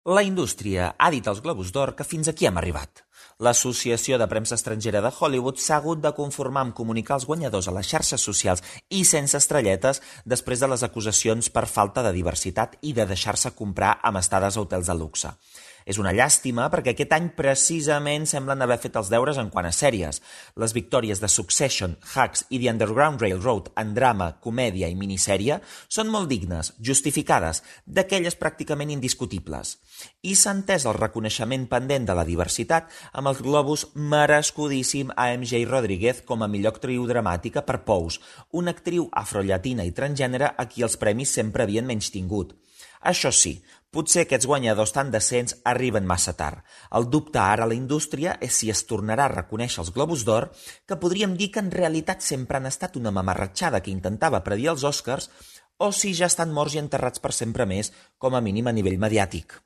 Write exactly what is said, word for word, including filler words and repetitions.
La indústria ha dit als Globus d'Or que fins aquí hem arribat. L'Associació de Premsa Estrangera de Hollywood s'ha hagut de conformar amb comunicar els guanyadors a les xarxes socials i sense estrelletes després de les acusacions per falta de diversitat i de deixar-se comprar amb estades a hotels de luxe. És una llàstima perquè aquest any precisament semblen haver fet els deures en quant a sèries. Les victòries de Succession, Hacks i The Underground Railroad en drama, comèdia i minissèrie són molt dignes, justificades, d'aquelles pràcticament indiscutibles. I s'ha entès el reconeixement pendent de la diversitat amb el Globus merescudíssim a M J Rodriguez com a millor actriu dramàtica per Pose, una actriu afrollatina i transgènere a qui els premis sempre havien menystingut. Això sí, potser aquests guanyadors tan decents arriben massa tard. El dubte ara a la indústria és si es tornarà a reconèixer els Globus d'Or, que podríem dir que en realitat sempre han estat una mamarratxada que intentava predir els Oscars, o si ja estan morts i enterrats per sempre més, com a mínim a nivell mediàtic.